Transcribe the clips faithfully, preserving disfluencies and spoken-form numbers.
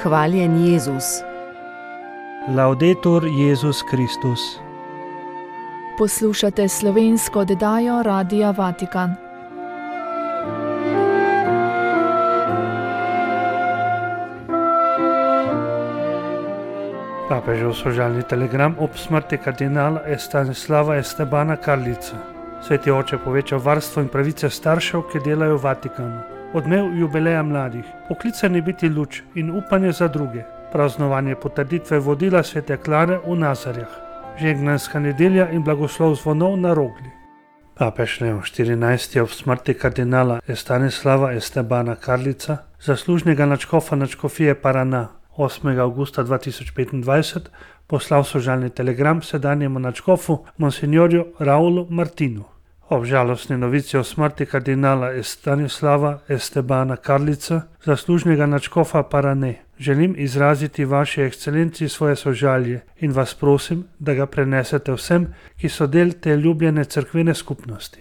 Hvaljen Jezus. Laudetur Jezus Kristus. Poslušate slovensko oddajo Radia Vatikan. Papežev sožalni telegram ob smrti kardinala Stanislava Estebana Karlica. Sveti oče poveča varstvo in pravice staršev, ki delajo v Vatikanu. Odmev jubileja mladih, poklicani biti luč in upanje za druge. Praznovanje potrditve vodila svete Klare v Nazarjah. Žegnanska nedelja in blagoslov zvonov na Rogli. Papež Leon štirinajsti ob smrti kardinala Stanislava Estebana Karlica, zaslužnega nadškofa nadškofije Paraná, osmega avgusta dva tisoč petindvajset poslal sožalni telegram sedanjemu nadškofu monsignorju Raulu Martinu. Ob žalostni novici o smrti kardinala Stanislava Estebana Karlica, zaslužnega nadškofa Parané, želim izraziti vaši ekscelenciji svoje sožalje in vas prosim, da ga prenesete vsem, ki so del te ljubljene cerkvene skupnosti.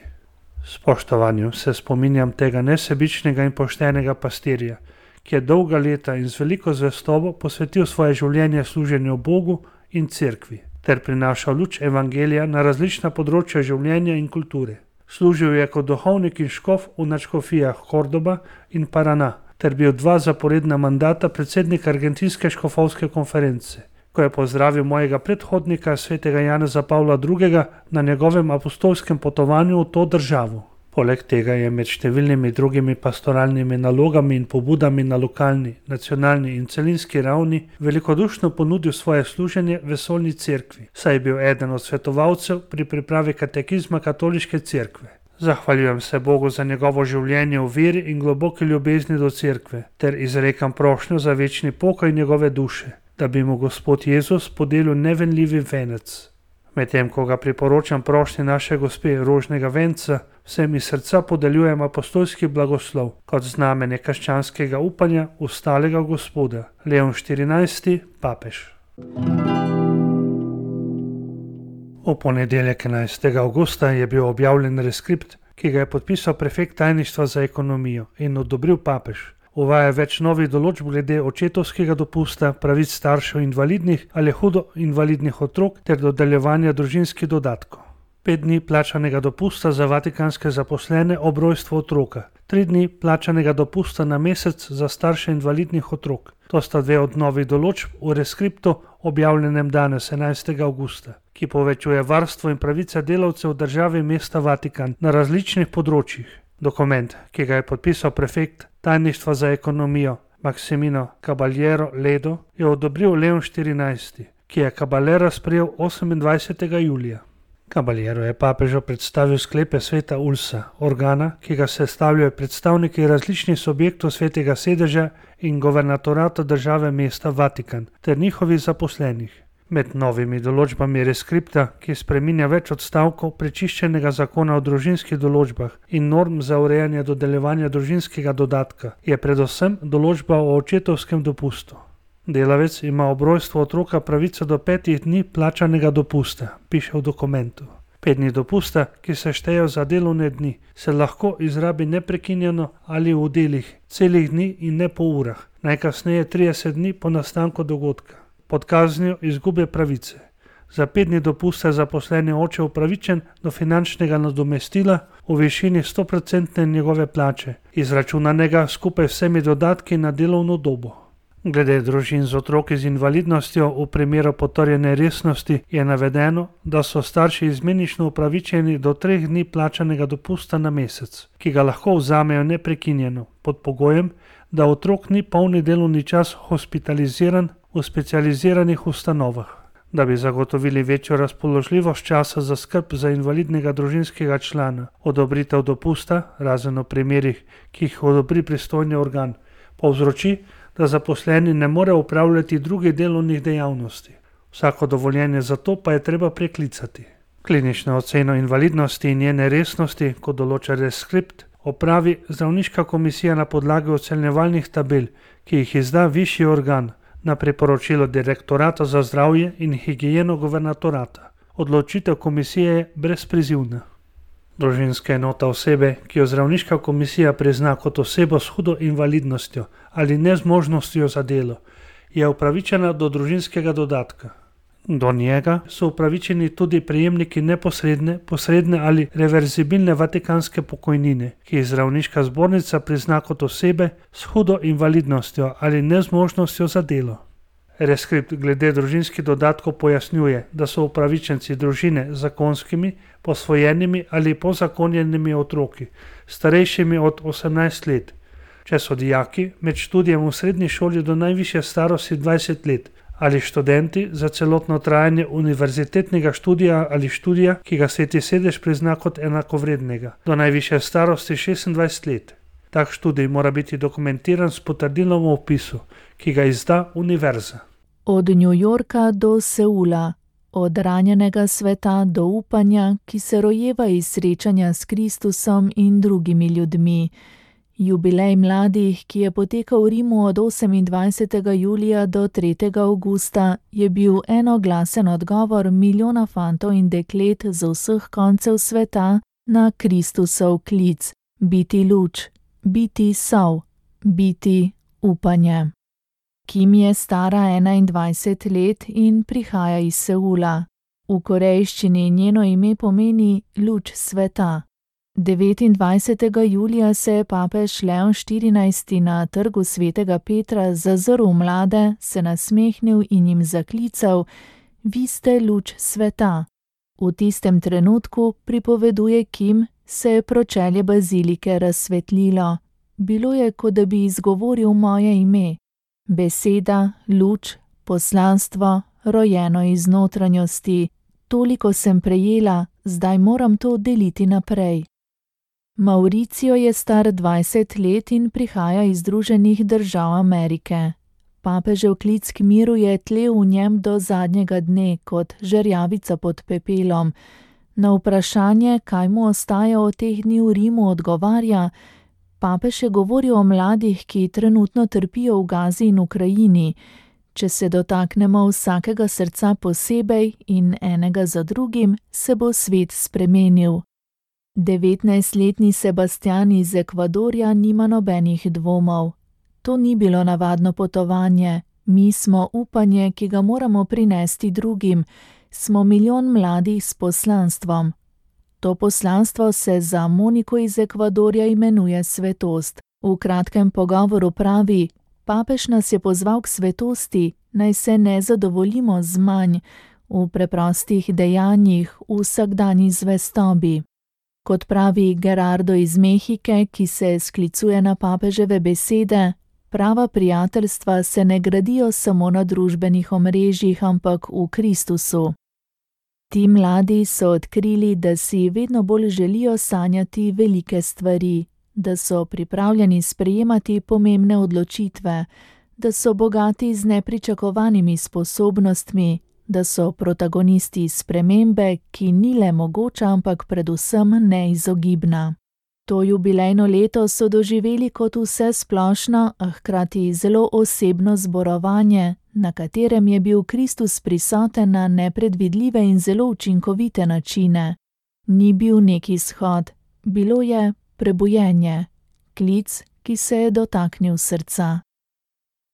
S spoštovanjem se spominjam tega nesebičnega in poštenega pastirja, ki je dolga leta in z veliko zvestobo posvetil svoje življenje služenju Bogu in cerkvi, ter prinašal luč evangelija na različna področja življenja in kulture. Služil je kot duhovnik in škof v nadškofijah Córdoba in Paraná, ter bil dva zaporedna mandata predsednik Argentinske škofovske konference, ko je pozdravil mojega predhodnika svetega Janeza Pavla drugega na njegovem apostolskem potovanju v to državo. Poleg tega je med številnimi drugimi pastoralnimi nalogami in pobudami na lokalni, nacionalni in celinski ravni velikodušno ponudil svoje služenje vesoljni cerkvi, saj je bil eden od svetovalcev pri pripravi katekizma katoliške cerkve. Zahvaljujem se Bogu za njegovo življenje v veri in globoki ljubezni do cerkve, ter izrekam prošnjo za večni pokoj njegove duše, da bi mu Gospod Jezus podelil nevenljivi venec. Medtem ko ga priporočam prošnji naše gospe rožnega venca, vsem iz srca podeljujem apostolski blagoslov kot znamenje krščanskega upanja v stalega Gospoda. Leon štirinajsti, papež. V ponedeljek enajstega avgusta je bil objavljen reskript, ki ga je podpisal prefekt tajništva za ekonomijo in odobril papež. Uvaja več novih določb glede očetovskega dopusta, pravic staršev invalidnih ali hudo invalidnih otrok ter dodeljevanja družinskih dodatkov. Pet dni plačanega dopusta za vatikanske zaposlene ob rojstvu otroka, tri dni plačanega dopusta na mesec za starše invalidnih otrok. To sta dve od novih določb v reskriptu objavljenem danes enajstega avgusta, ki povečuje varstvo in pravice delavcev države mesta Vatikan na različnih področjih. Dokument, ki ga je podpisal prefekt tajništva za ekonomijo Maximino Caballero Ledo, je odobril Leon štirinajsti, ki je Caballera sprejel osemindvajsetega julija. Caballero je papežu predstavil sklepe sveta Ulsa, organa, ki ga sestavljajo predstavniki različnih subjektov svetega sedeža in governatorata države mesta Vatikan ter njihovih zaposlenih. Med novimi določbami reskripta, ki spreminja več odstavkov prečiščenega zakona o družinskih določbah in norm za urejanje dodeljevanja družinskega dodatka, je predvsem določba o očetovskem dopustu. Delavec ima ob rojstvu otroka pravico do petih dni plačanega dopusta, piše v dokumentu. Pet dni dopusta, ki se štejejo za delovne dni, se lahko izrabi neprekinjeno ali v delih, celih dni in ne po urah, najkasneje trideset dni po nastanku dogodka, pod kaznijo izgube pravice. Za pet dni dopusta je zaposleni oče upravičen do finančnega nadomestila v višini sto procentov njegove plače, izračunanega skupaj vsemi dodatki na delovno dobo. Glede družin z otroki z invalidnostjo v primeru potrjene resnosti je navedeno, da so starši izmenično upravičeni do treh dni plačanega dopusta na mesec, ki ga lahko vzamejo neprekinjeno, pod pogojem, da otrok ni polni delovni čas hospitaliziran v specializiranih ustanovah. Da bi zagotovili večjo razpoložljivost časa za skrb za invalidnega družinskega člana, odobritev dopusta, razen v primerih, ki jih odobri pristojni organ, povzroči, da zaposleni ne more upravljati drugih delovnih dejavnosti. Vsako dovoljenje za to pa je treba preklicati. Klinično oceno invalidnosti in njene resnosti, kot določa reskript, opravi zdravniška komisija na podlagi ocenjevalnih tabel, ki jih izda višji organ, na priporočilo direktorata za zdravje in higieno guvernatorata. Odločitev komisije je brezprizivna. Družinska enota osebe, ki jo zdravniška komisija prizna kot osebo s hudo invalidnostjo ali nezmožnostjo za delo, je upravičena do družinskega dodatka. Do njega so upravičeni tudi prejemniki neposredne, posredne ali reverzibilne vatikanske pokojnine, ki jih zdravniška zbornica prizna kot osebe s hudo invalidnostjo ali nezmožnostjo za delo. Reskript glede družinskih dodatkov pojasnjuje, da so upravičenci družine z zakonskimi, posvojenimi ali pozakonjenimi otroki, starejšimi od osemnajst let, če so dijaki med študijem v srednji šoli do najvišje starosti dvajset let, ali študenti za celotno trajanje univerzitetnega študija ali študija, ki ga Sveti sedež prizna kot enakovrednega, do najvišje starosti šestindvajset let. Tak študij mora biti dokumentiran s potrdilom o vpisu, ki ga izda univerza. Od New Yorka do Seula, od ranjenega sveta do upanja, ki se rojeva iz srečanja s Kristusom in drugimi ljudmi. Jubilej mladih, ki je potekal v Rimu od osemindvajsetega julija do tretjega avgusta, je bil enoglasen odgovor milijona fantov in deklet z vseh koncev sveta na Kristusov klic: biti luč, biti sol, biti upanje. Kim je stara enaindvajset let in prihaja iz Seula. V korejščini njeno ime pomeni luč sveta. devetindvajsetega julija se je papež Leon štirinajsti na trgu svetega Petra zazrl mlade, se nasmehnil in jim zaklical: vi ste luč sveta. V tistem trenutku, pripoveduje Kim, se je pročelje bazilike razsvetlilo. Bilo je, kot da bi izgovoril moje ime. Beseda, luč, poslanstvo, rojeno iz notranjosti. Toliko sem prejela, zdaj moram to deliti naprej. Mauricio je star dvajset let in prihaja iz Združenih držav Amerike. Papežev klic k miru je tlel v njem do zadnjega dne kot žerjavica pod pepelom. Na vprašanje, kaj mu ostaja od teh dni v Rimu, odgovarja: papež je govoril o mladih, ki trenutno trpijo v Gazi in Ukrajini. Če se dotaknemo vsakega srca posebej in enega za drugim, se bo svet spremenil. devetnajstletni Sebastian iz Ekvadorja nima nobenih dvomov. To ni bilo navadno potovanje. Mi smo upanje, ki ga moramo prinesti drugim. Smo milijon mladih s poslanstvom. To poslanstvo se za Moniko iz Ekvadorja imenuje svetost. V kratkem pogovoru pravi: papež nas je pozval k svetosti, naj se ne zadovoljimo z manj, v preprostih dejanjih, v vsakdanji zvestobi. Kot pravi Gerardo iz Mehike, ki se sklicuje na papeževe besede, prava prijateljstva se ne gradijo samo na družbenih omrežjih, ampak v Kristusu. Ti mladi so odkrili, da si vedno bolj želijo sanjati velike stvari, da so pripravljeni sprejemati pomembne odločitve, da so bogati z nepričakovanimi sposobnostmi, da so protagonisti spremembe, ki ni le mogoča, ampak predvsem neizogibna. To jubilejno leto so doživeli kot vse splošno, a hkrati zelo osebno zborovanje, na katerem je bil Kristus prisoten na nepredvidljive in zelo učinkovite načine. Ni bil neki shod, bilo je prebujenje, klic, ki se je dotaknil srca.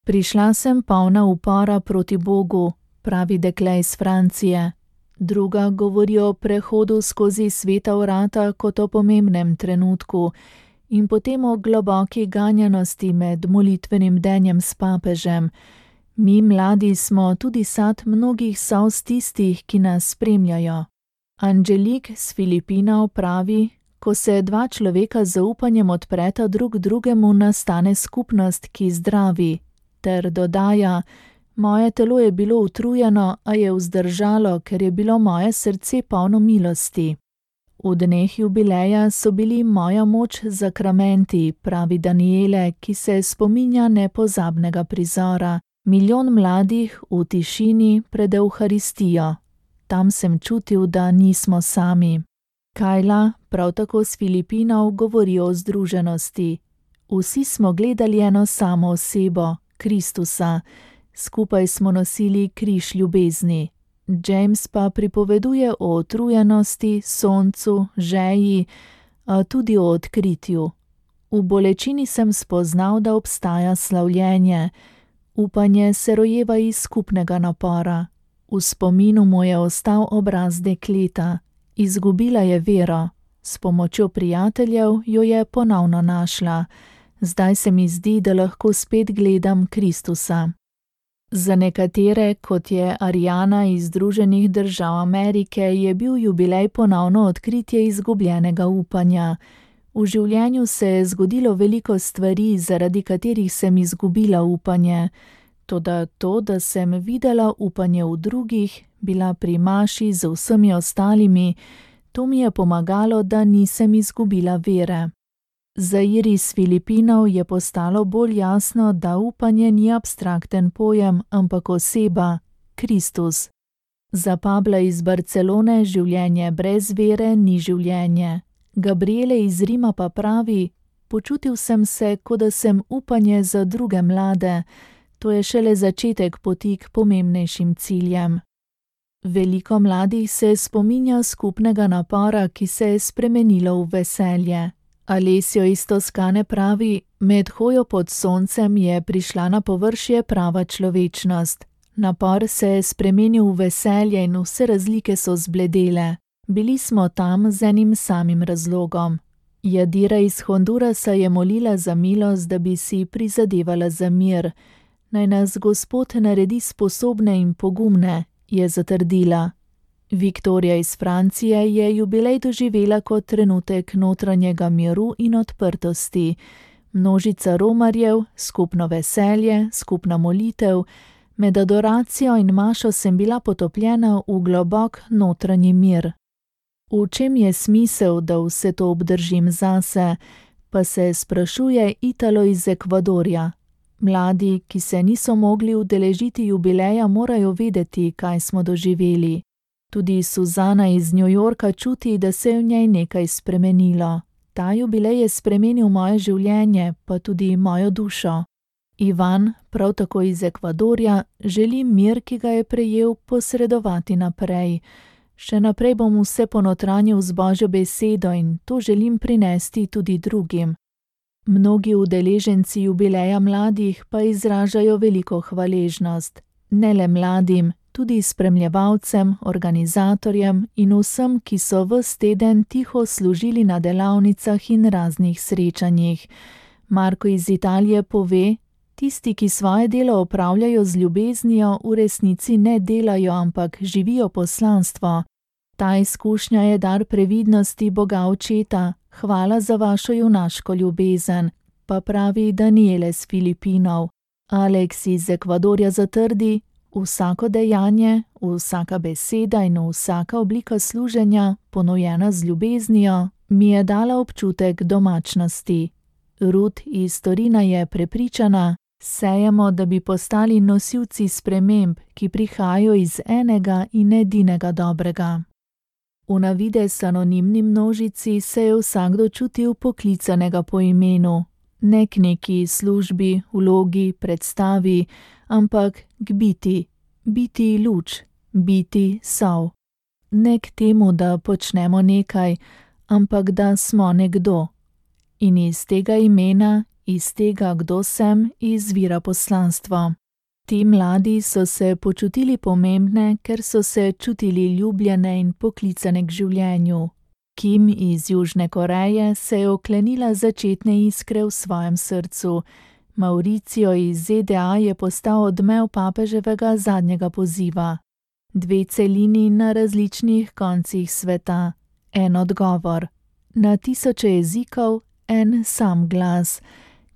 Prišla sem polna upora proti Bogu, pravi dekle iz Francije. Druga govori o prehodu skozi sveta vrata kot o pomembnem trenutku in potem o globoki ganjanosti med molitvenim denjem s papežem. Mi mladi smo tudi sad mnogih solz tistih, ki nas spremljajo. Angelik z Filipinov pravi: ko se dva človeka z zaupanjem odpreta drug drugemu, nastane skupnost, ki zdravi, ter dodaja: moje telo je bilo utrujeno, a je vzdržalo, ker je bilo moje srce polno milosti. V dneh jubileja so bili moja moč zakramenti, pravi Daniele, ki se spominja nepozabnega prizora. Milijon mladih v tišini pred Evharistijo. Tam sem čutil, da nismo sami. Kajla, prav tako s Filipinov, govori o združenosti. Vsi smo gledali eno samo osebo, Kristusa. Skupaj smo nosili križ ljubezni. James pa pripoveduje o utrujenosti, soncu, žeji, a tudi o odkritju. V bolečini sem spoznal, da obstaja slavljenje. Upanje se rojeva iz skupnega napora. V spominu mu je ostal obraz dekleta. Izgubila je vero. S pomočjo prijateljev jo je ponovno našla. Zdaj se mi zdi, da lahko spet gledam Kristusa. Za nekatere, kot je Ariana iz Združenih držav Amerike, je bil jubilej ponovno odkritje izgubljenega upanja. V življenju se je zgodilo veliko stvari, zaradi katerih sem izgubila upanje. Toda to, da sem videla upanje v drugih, bila pri maši z vsemi ostalimi, to mi je pomagalo, da nisem izgubila vere. Za Iris Filipinov je postalo bolj jasno, da upanje ni abstrakten pojem, ampak oseba, Kristus. Za Pabla iz Barcelone življenje brez vere ni življenje. Gabriele iz Rima pa pravi: počutil sem se, kot da sem upanje za druge mlade. To je šele začetek poti k pomembnejšim ciljem. Veliko mladih se spominja skupnega napora, ki se je spremenilo v veselje. Alessio iz Toskane pravi: med hojo pod soncem je prišla na površje prava človečnost. Napor se je spremenil v veselje in vse razlike so zbledele. Bili smo tam z enim samim razlogom. Jadira iz Hondurasa je molila za milost, da bi si prizadevala za mir. Naj nas Gospod naredi sposobne in pogumne, je zatrdila. Viktorija iz Francije je jubilej doživela kot trenutek notranjega miru in odprtosti. Množica romarjev, skupno veselje, skupna molitev, med adoracijo in mašo sem bila potopljena v globok notranji mir. V čem je smisel, da vse to obdržim zase, pa se sprašuje Italo iz Ekvadorja. Mladi, ki se niso mogli udeležiti jubileja, morajo vedeti, kaj smo doživeli. Tudi Suzana iz New Yorka čuti, da se je v njej nekaj spremenilo. Ta jubilej je spremenil moje življenje, pa tudi mojo dušo. Ivan, prav tako iz Ekvadorja, želi mir, ki ga je prejel, posredovati naprej. Še naprej bom vse ponotranjil z Božjo besedo in to želim prinesti tudi drugim. Mnogi udeleženci jubileja mladih pa izražajo veliko hvaležnost. Ne le mladim, tudi spremljevalcem, organizatorjem in vsem, ki so ves teden tiho služili na delavnicah in raznih srečanjih. Marko iz Italije pove: tisti, ki svoje delo opravljajo z ljubeznijo, v resnici ne delajo, ampak živijo poslanstvo. Ta izkušnja je dar previdnosti Boga Očeta. Hvala za vašo junaško ljubezen, pa pravi Daniele iz Filipinov. Alex iz Ekvadorja zatrdi: vsako dejanje, vsaka beseda in vsaka oblika služenja, ponujena z ljubeznijo, mi je dala občutek domačnosti. Ruth iz Torina je prepričana: sejemo, da bi postali nosilci sprememb, ki prihajajo iz enega in edinega dobrega. V navidez anonimni množici se je vsakdo čutil poklicanega po imenu, ne k neki službi, vlogi, predstavi, ampak k biti, biti luč, biti sol. Ne k temu, da počnemo nekaj, ampak da smo nekdo. In iz tega imena, iz tega, kdo sem, izvira poslanstvo. Ti mladi so se počutili pomembne, ker so se čutili ljubljene in poklicane k življenju. Kim iz Južne Koreje se je oklenila začetne iskre v svojem srcu. Mauricio iz Z D A je postal odmev papeževega zadnjega poziva. Dve celini na različnih koncih sveta. En odgovor. Na tisoče jezikov en sam glas.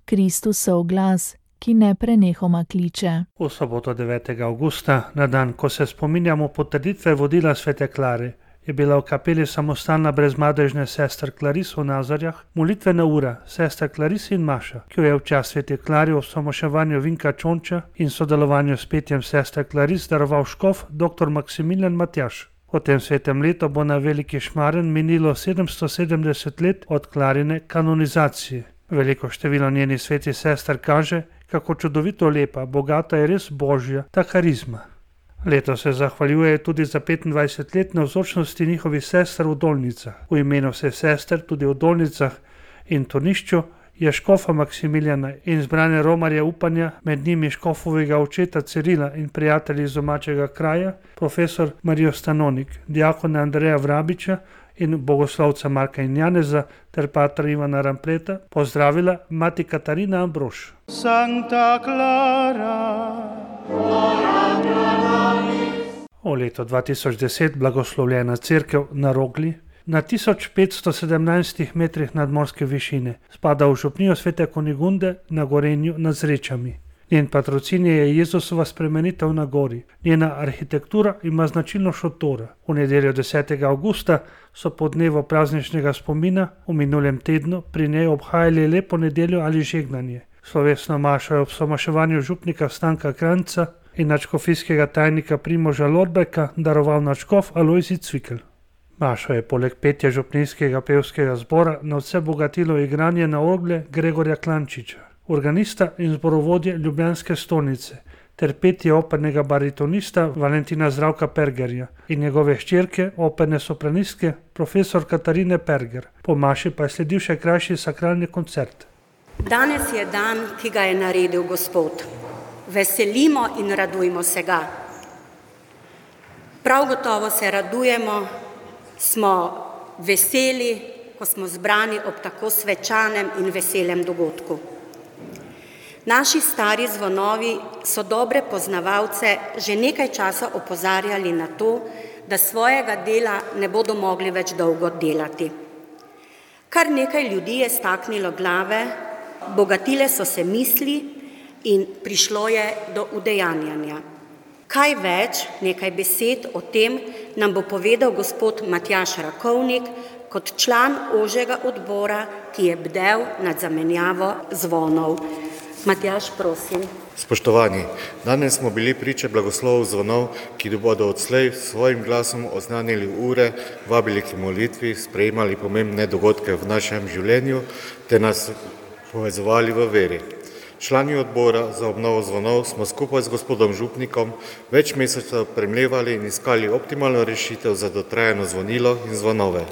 Kristusov glas, ki ne prenehoma kliče. V soboto devetega avgusta, na dan, ko se spominjamo potrditve vodila svete Klare, je bila v kapeli samostalna brezmadežne sester Klaris v Nazarjah molitvena ura sester Klaris in Maša, ki jo je v čast svete Klare v osamoševanju Vinka Čonča in sodelovanju s petjem sester Klaris daroval škof dr. Maksimilijan Matjaž. V tem svetem letu bo na Veliki Šmaren minilo sedemsto sedemdeset let od Klarine kanonizacije. Veliko število njenih svetih sester kaže, kako čudovito lepa, bogata je res božja ta karizma. Leto se zahvaljuje tudi za petindvajset let navzočnosti njihovih sester v Dolnicah. V imenu vseh sester tudi v Dolnicah in Turnišču je škofa Maksimiljana in zbrane romarje upanja, med njimi škofovega očeta Cirila in prijatelji iz domačega kraja, profesor Marijo Stanonik, diakona Andreja Vrabiča in bogoslovca Marka in Janeza ter patra Ivana Rampleta, pozdravila mati Katarina Ambrož. Santa Clara. O leto dva tisoč deset blagoslovljena cerkev na Rogli, na tisoč petsto sedemnajstih metrih nadmorske višine, spada v župnijo Svete Kunigunde na Gorenju nad Zrečami. Njen patrocin je Jezusova spremenitev na gori. Njena arhitektura ima značilno šotora. V nedeljo desetega avgusta so po dnevu prazničnega spomina v minulem tednu pri njej obhajali lepo nedeljo ali žegnanje. Slovesno mašo je ob somaševanju župnika Stanka Kranjca in nadškofijskega tajnika Primoža Lorbeka daroval nadškof Alojzij Cvikl. Mašo je poleg petja župnijskega pevskega zbora nadvse bogatilo igranje na orgle Gregorja Klančiča, organista in zborovodje Ljubljanske stolnice, ter petje opernega baritonista Valentina Zdravka Pergerja in njegove hčerke, operne sopranistke, profesor Katarine Perger. Po maši pa je sledil še krajši sakralni koncert. Danes je dan, ki ga je naredil Gospod. Veselimo in radujmo se ga. Prav gotovo se radujemo, smo veseli, ko smo zbrani ob tako svečanem in veselem dogodku. Naši stari zvonovi so dobre poznavalce že nekaj časa opozarjali na to, da svojega dela ne bodo mogli več dolgo delati. Kar nekaj ljudi je staknilo glave, bogatile so se misli in prišlo je do udejanjanja. Kaj več, nekaj besed o tem nam bo povedal gospod Matjaž Rakovnik kot član ožjega odbora, ki je bdel nad zamenjavo zvonov. Matjaž, prosim. Spoštovani, danes smo bili priče blagoslovov zvonov, ki bodo odslej s svojim glasom oznanili ure, vabili k molitvi, sprejemali pomembne dogodke v našem življenju ter nas povezovali v veri. Člani odbora za obnovo zvonov smo skupaj z gospodom župnikom več mesecev premlevali in iskali optimalno rešitev za dotrajano zvonilo in zvonove.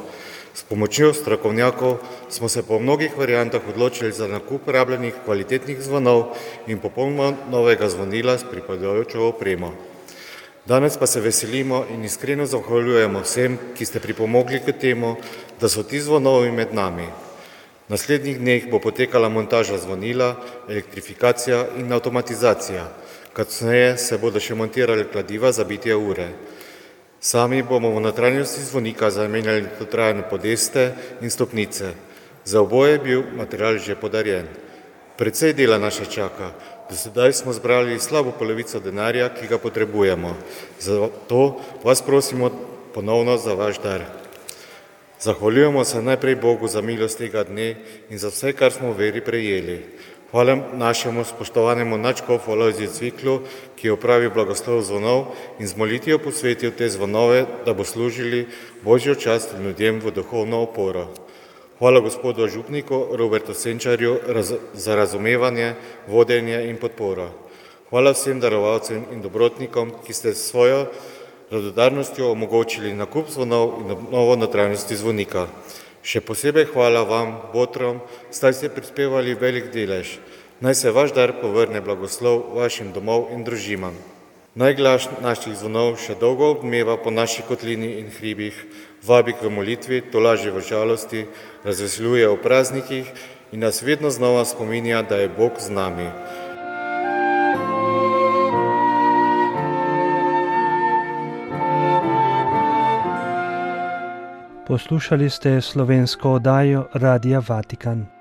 S pomočjo strokovnjakov smo se po mnogih variantah odločili za nakup rabljenih kvalitetnih zvonov in popolnoma novega zvonila s pripadajočo opremo. Danes pa se veselimo in iskreno zahvaljujemo vsem, ki ste pripomogli k temu, da so ti zvonovi med nami. V naslednjih dneh bo potekala montaža zvonila, elektrifikacija in avtomatizacija. Kasneje se bodo še montirali kladiva za bitje ure. Sami bomo v notranjosti zvonika zamenjali dotrajane podeste in stopnice. Za oboje je bil material že podarjen. Precej dela nas še čaka. Do sedaj smo zbrali slabo polovico denarja, ki ga potrebujemo. Zato vas prosimo ponovno za vaš dar. Zahvaljujemo se najprej Bogu za milost tega dne in za vse, kar smo v veri prejeli. Hvala našemu spoštovanemu nadškofu Alojziju Cviklu, ki je opravil blagoslov zvonov in z molitvijo posvetil te zvonove, da bo služili Božjo čast ljudem v duhovno oporo. Hvala gospodu župniku Robertu Senčarju raz, za razumevanje, vodenje in podporo. Hvala vsem darovalcem in dobrotnikom, ki ste s svojo radodarnostjo omogočili nakup zvonov in obnovo notranjosti zvonika. Še posebej hvala vam, botrom, saj ste prispevali velik delež. Naj se vaš dar povrne blagoslov vašim domov in družinam. Naj glas naših zvonov še dolgo odmeva po naši kotlini in hribih, vabi k molitvi, tolaži v žalosti, razveseljuje o praznikih in nas vedno znova spominja, da je Bog z nami. Poslušali ste slovensko oddajo Radia Vatikan.